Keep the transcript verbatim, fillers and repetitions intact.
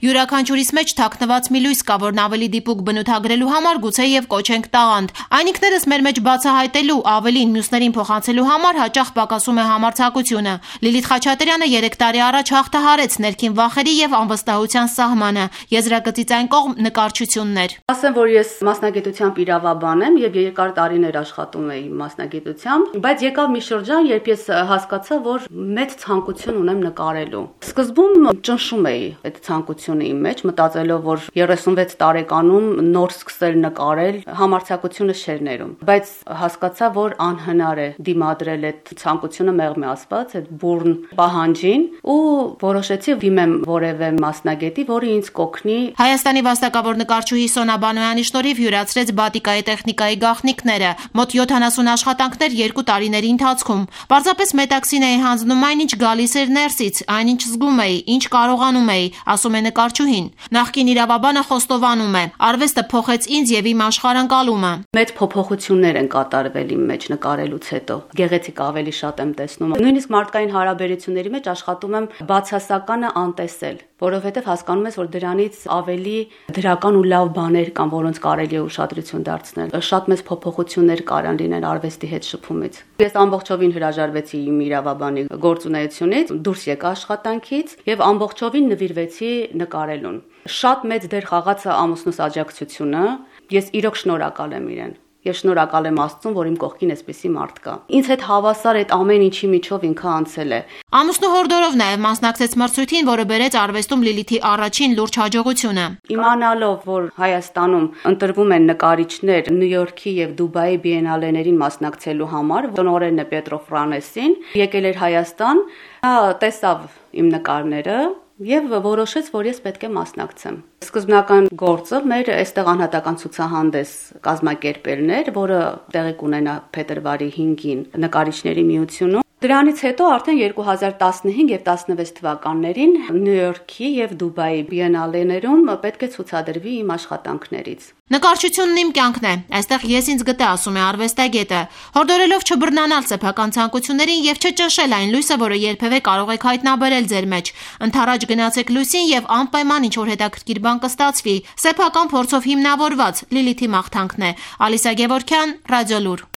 Յուրաքանչյուրիս մեջ թաքնված մի լույս կա, որն ավելի դիպուկ բնութագրելու համար գուցե եւ կոչենք տաղանդ։ Այն ինքներս մեր մեջ բացահայտելու, ավելին մյուսներին փոխանցելու համար հաճախ պակասում է համարձակությունը։ Լիլիթ Խաչատրյանը երեք տարի առաջ հաղթահարեց ներքին վախերի եւ անվստահության սահմանը։ Եզրագծից այն կողմ նկարչությունն էր։ Ասեմ, որ ես մասնագիտությամբ իրավաբան եմ եւ երկար տարիներ աշխատում էի մասնագիտությամբ, բայց եկավ մի շրջան, երբ ես հասկացա, որ մեծ ցանկություն ունեմ նկարելու։ Սկզբում ճնշում էի այդ ցանկությունը իմ մեջ, մտածելով, որ երեսունվեց տարեկանում նոր սկսել նկարել, համարձակությունը չէր ներում, բայց հասկացա, որ անհնար է դիմադրել այդ ցանկությունը մեղմի ասված, այդ բուրն պահանջին ու որոշեցի դիմեմ որևէ մասնագետի, որը ինձ կօգնի։ Հայաստանի վաստակավոր նկարչուհի Սոնա Բանոյանի շնորհիվ յուրացրեց բատիկայի տեխնիկայի գաղտնիքները, մոտ յոթանասուն աշխատանքներ երկու տարիների ընթացքում։ Պարզապես մետաքսին էի հանձնում այն, ինչ գալիս էր ներսից, այն ինչ զգում էի, ինչ կարողանում էի, ասում է նկարչուհին։ Նախկին իրավաբանը խոստովանում է. արվեստը փոխեց ինձ եւ իմ աշխարհընկալումը։ Մեծ փոփոխություններ են կատարվել իմ մեջ նկարելուց հետո։ Գեղեցիկ ավելի շատ եմ տեսնում։ Նույնիսկ մարդկային հարաբերությունների մեջ աշխատում եմ բացասականը անտեսել, որովհետև հասկանում ես, որ դրանից ավելի դրական ու լավ բաներ կան, որոնց կարելի է ուշադրություն դարձնել։ Շատ մեծ փոփոխություններ կարան լինել արվեստի հետ շփումից։ Ես ամբողջովին հրաժարվեցի իմ իրավաբանի գործունեությունից, դուրս եկա աշխատանքից եւ ամբողջովին նվիրվեցի նկարելուն։ Շատ մեծ դեր խաղաց ամուսնուս աջակցությունը։ Ես իրոք շնորհակալ եմ իրեն։ Ես շնորհակալ եմ Աստծուն, որ իմ կողքին էսպիսի մարդ կա։ Ինձ հետ հավասար այդ ամեն ինչի միջով ինքը անցել է։ Ամուսնու հորդորով նաև մասնակցեց մրցույթին, որը բերեց արվեստում Լիլիթի առաջին լուրջ հաջողությունը։ Իմանալով, որ Հայաստանում ընտրվում են նկարիչներ Նյու Յորքի եւ Դուբայի բիենալեներին մասնակցելու համար, տնօրենն է Պետրո Ֆրանեսին, եկել էր Հայաստան, նա տեսավ իմ նկարները եւ որոշեց, որ ես պետք է մասնակցեմ։ Սկզբնական գործը մեր այստեղ անհատական ցուցահանդես կազմակերպելն էր, որը տեղի կունենա փետրվարի հինգին նկարիչների միությունում։ Դրանից հետո արդեն երկու հազար տասնհինգ եւ տասնվեց թվականներին Նյու Յորքի եւ Դուբայի բիենալեներում պետք է ցուցադրվի իմ աշխատանքներից։ Նկարչությունն իմ կյանքն է, այստեղ ես ինձ գտա, ասում է արվեստագետը, հորդորելով չբռնանալ սեփական ցանկություններին եւ չճնշել այն լույսը, որը երբևէ կարող եք հայտնաբերել ձեր մեջ։ Ընթառաջ գնացեք լույսին եւ անպայման ինչ որ հետաքրքիր բան կստացվի։ Սեփական փորձով հիմնավորված Լիլիթի մաղթանքն է։ Ալիսա Գևորգյան, Ռադիոլուր։